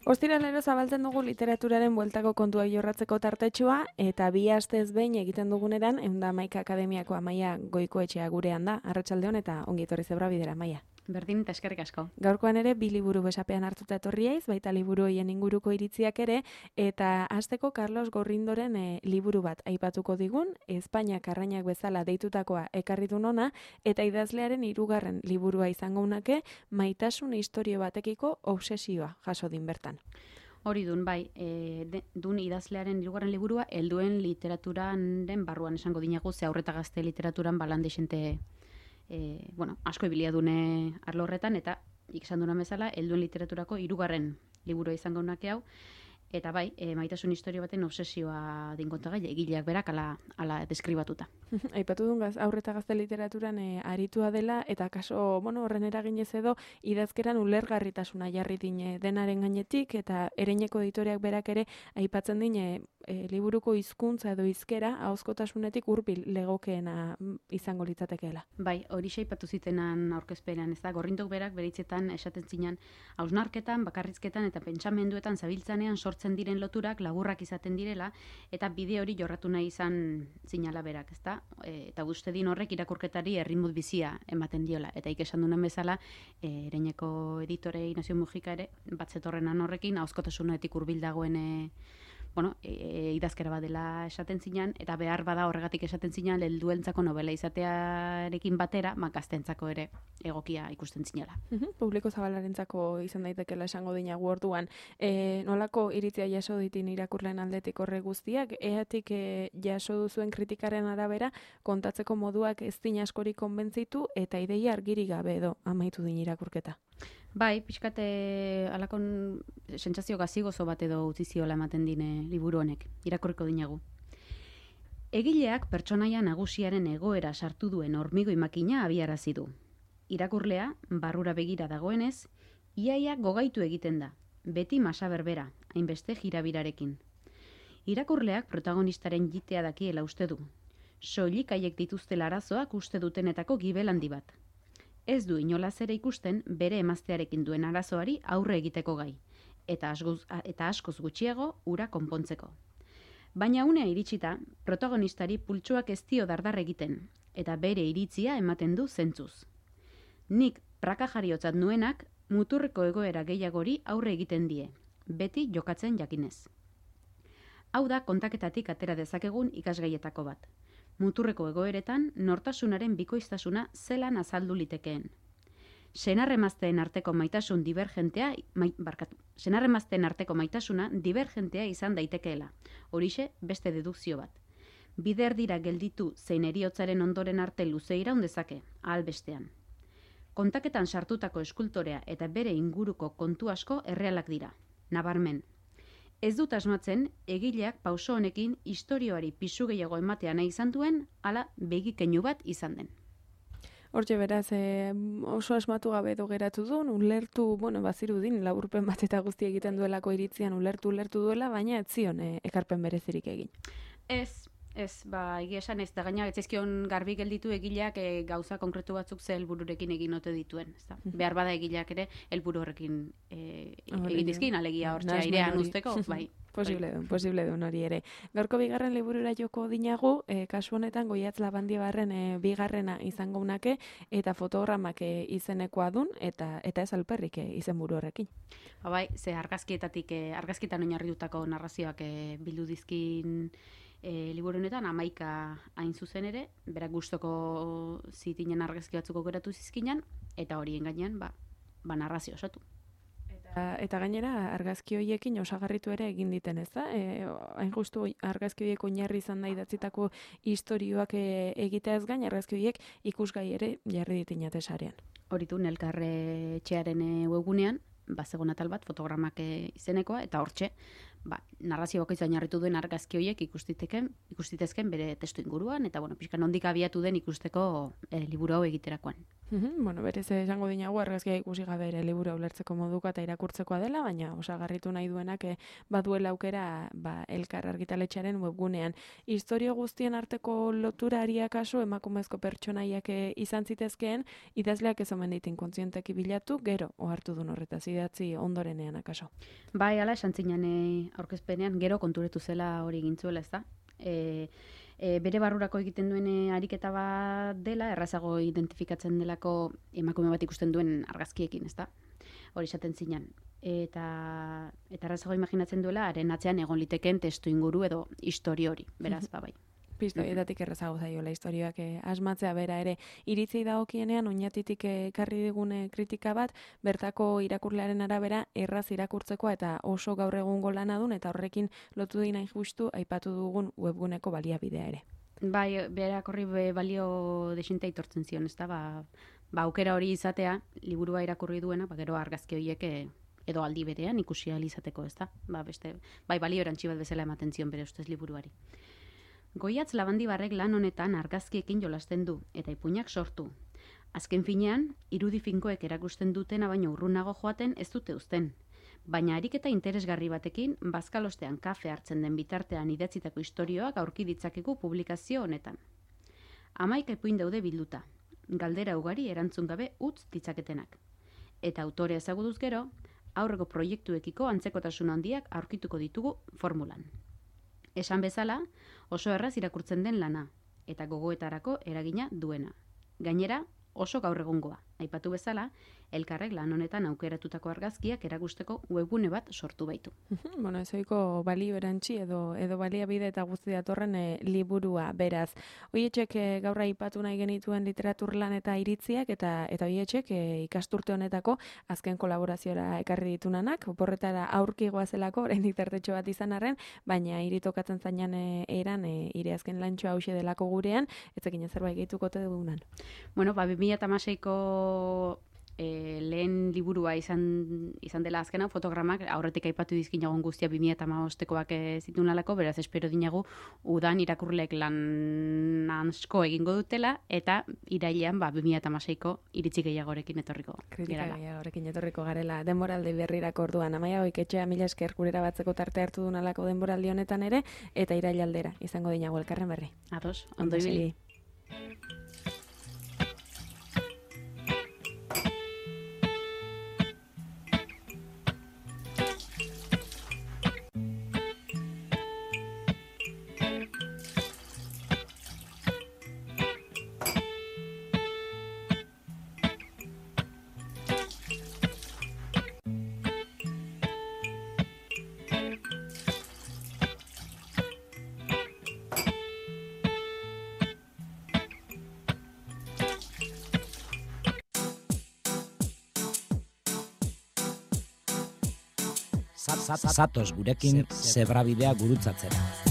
Ostiralero zabaltzen dugu literaturaren bueltako kontua jorratzeko tartetxoa, eta 2 astez behin egiten duguneran, 111 Akademiako Amaia Goikoetxea gurean da. Arratsaldeon eta ongi etorri Zebra Bidera, Amaia. Berdin eta eskerrik asko. Gaurkoan ere 2 liburu besapean hartuta etorriaiz, baita liburu hoien inguruko iritziak ere, eta hasteko Carlos Gorrindoren liburu bat aipatuko digun, Espainiak arrainak bezala deitutakoa ekarri du hona, eta idazlearen 3. liburua izango unake, maitasun istorio batekiko obsesioa jaso din bertan. Hori dun, bai, dun idazlearen 3. liburua, helduen literaturaren barruan esango dinagu, ze aurreta gazte literaturan balandexente asko ibilia dune arlo horretan, eta ikesan duna bezala, helduen literaturako 3. liburua izango nake hau, eta bai, maitasun historio baten obsesioa dinkontagai, egileak berak ala deskribatuta. Aipatu dun aurreta gazte literaturan aritua dela, eta kaso, horren eraginez edo, idazkeran ulergarritasuna jarri dine denaren gainetik, eta Ereineko editoreak berak ere aipatzen dine liburuko hizkuntza edo hizkera ahozkotasunetik hurbil legokeena izango litzatekeela. Bai, hori aipatu zitenan aurkezpenean, ez da, Gorrindok berak beritzetan esaten zinan, hausnarketan, bakarrizketan eta pentsamenduetan zabiltzanean sortzen diren loturak laburrak izaten direla, eta bide hori jorratu nahi izan zinala berak, ez da? Eta uste din horrek irakurketari erritmut bizia ematen diola, eta esan duen bezala, Ereineko editore Ignacio Mujika ere, batzetorrenan horrekin, ahozkotasunetik hurbil dagoen idazkera bat dela esaten zinan, eta behar bada horregatik esaten zinan, helduentzako novela izatearekin batera, gaztentzako ere egokia ikusten zinala. Publiko zabalarentzako izan daitekela esango dinagu orduan. Nolako iritzia jaso ditin irakurleen aldetik horre guztiak, eatik jaso duzuen kritikaren arabera, kontatzeko moduak ez din askorik konbentzitu, eta ideia argiri gabe edo amaitu din irakurketa. Bai, pixkate alakon sentsazio gazigozo bat edo utzi ziola ematen dine liburu honek, irakurriko dinagu. Egileak pertsonaia nagusiaren egoera sartu duen hormigoi makina abiarazi du. Irakurlea, barrura begira dagoenez, iaia gogaitu egiten da, beti masa berbera, hainbeste jirabirarekin. Irakurleak protagonistaren jitea dakiela uste du. Soilik haiek dituztela arazoak uste dutenetako gibel handi bat. Ez du inolaz ere ikusten bere emaztearekin duen arazoari aurre egiteko gai, eta askoz gutxiago ura konpontzeko. Baina unea iritsita, protagonistari pultsuak ez dio dardar egiten, eta bere iritzia ematen du zentzuz. Nik praka jariotzat nuenak muturreko egoera gehiagori aurre egiten die, beti jokatzen jakinez. Hau da kontaketatik atera dezakegun ikasgaietako bat. Muturreko egoeretan nortasunaren bikoiztasuna zelan azaldu litekeen. Senarremazteen arteko maitasuna divergentea izan daitekeela. Horixe beste dedukzio bat. Bider dira gelditu zein heriotzaren ondoren arte luze iraun dezake, ahal bestean. Kontaketan sartutako eskultorea eta bere inguruko kontu asko errealak dira. Nabarmen. Ez dut asmatzen, egileak pauso honekin istorioari pisu gehiago ematea nahi izan duen, ala begikeinu bat izan den. Hortxe beraz, oso asmatu gabe edo geratu duen, ulertu, bazirudin, laburpen bat eta guzti egiten duelako iritzian ulertu duela, baina ez zion ekarpen berezirik egin. Ez, egia esan ez, da gaina etzaizkion garbi gelditu egileak gauza konkretu batzuk ze helbururekin egin ote dituen. Ezta? Behar bada egileak ere helburu horrekin egin dizkin, alegia hortxe airean usteko, bai. Posible duen hori ere. Gaurko 2. liburura joko dinagu, kasu honetan Goiatz Labandibarren 2. izango unake, eta fotogramak izenekoa dun, eta ez alperrik izenburu horrekin. Bai, ze argazkietan oinarritutako narrazioak bildu dizkin liburu honetan 11 hain zuzen ere, berak gustoko zitinen argazki batzuk geratu zizkinan, eta horien gainean narrazio osatu. Eta gainera, argazki horiekin osagarritu ere egin diten, ez da? Hain justu argazki horiek oinarri izan da idatzitako istorioak egitea ez gain, argazki horiek ikusgai ere jarri ditinate sarean. Horitu, Nelkarre etxearen webgunean, bazegon atal bat, fotogramak izenekoa, eta hortxe, narrazio bakoitza oinarritu duen argazki horiek ikustitezken bere testu inguruan, eta pixka nondik abiatu den ikusteko liburu hau egiterakoan. Bueno, berez esango dinagu argazkia ikusi gabe ere liburu ulertzeko moduko eta irakurtzekoa dela, baina osagarritu nahi duenak baduela aukera Elkar argitaletxearen webgunean. Historio guztien arteko lotura kaso emakumezko pertsonaiak izan zitezkeen, idazleak ez omen ditin kontzienteki bilatu, gero ohartu duen horretaz idatzi ondorenean akaso. Bai, ala esan zinan aurkezpenean, gero konturetu zela hori gintzuela, ez da? Bere barrurako egiten duen ariketa bat dela, errazago identifikatzen delako emakume bat ikusten duen argazkiekin, ezta? Hori esaten zinan. Eta errazago imaginatzen duela, haren atzean egon liteken testu inguru edo histori hori, beraz, bai. Pistoietatik errazago zaiola historioak asmatzea bera ere. Iritzei dagokienean oinatitik ekarri digune kritika bat, bertako irakurlearen arabera erraz irakurtzekoa eta oso gaur egungo lana dun eta horrekin lotu dina justu aipatu dugun webguneko baliabidea ere. Bai, berak horri balio desintea itortzen zion, ez da? Ba, aukera hori izatea, liburua irakurri duena, gero argazki horiek edo aldi berean ikusi ahal izateko, ez da? Bai, balio erantzi bat bezala ematen zion bere ustez liburuari. Goiatz Labandibarrek lan honetan argazkiekin jolasten du, eta ipuinak sortu. Azken finean, irudi finkoek erakusten dutena baino urrunago joaten ez dute uzten. Baina ariketa interesgarri batekin, bazkalostean kafe hartzen den bitartean idatzitako istorioak aurki ditzakegu publikazio honetan. 11 ipuin daude bilduta, galdera ugari erantzun gabe utz ditzaketenak. Eta autorea ezagutuz gero, aurreko proiektuekiko antzekotasun handiak aurkituko ditugu formulan. Esan bezala, oso erraz irakurtzen den lana, eta gogoetarako eragina duena. Gainera, oso gaur egungoa. Aipatu bezala, Elkarrek lan honetan aukeratutako argazkiak erakusteko webgune bat sortu baitu. Bueno, ezoiko balio erantzi edo baliabide eta guzti datorren liburua beraz. Hoietxek gaur aipatu nahi genituen literatur lan eta iritziak eta hoietxek ikasturte honetako azken kolaboraziora ekarri ditunanak, oporretara aurkigoa zelako, oraindik tartetxo bat izan arren, baina iritokatzen zainan eran ire azken lantxoa hause delako gurean, etzekin zerbait gehituko te dugunan. Bueno, 2016ko lehen liburua izan dela azkena, fotogramak aurretik aipatu dizkinagun guztia 2015koak zituen alako, beraz espero dinagu udan irakurleek lan asko egingo dutela, eta irailean 2016ko iritzi gehiagorekin etorriko Kritika gehiagorekin etorriko garela denboraldi berrirako orduan. Amaia Goiketxea, mila esker gurera batzeko tarte hartu duen alako denboraldi honetan ere, eta irailaldera izango dinagu elkarren berri. Ados, ondo ibili. Zatoz gurekin zebrabidea gurutzatzera.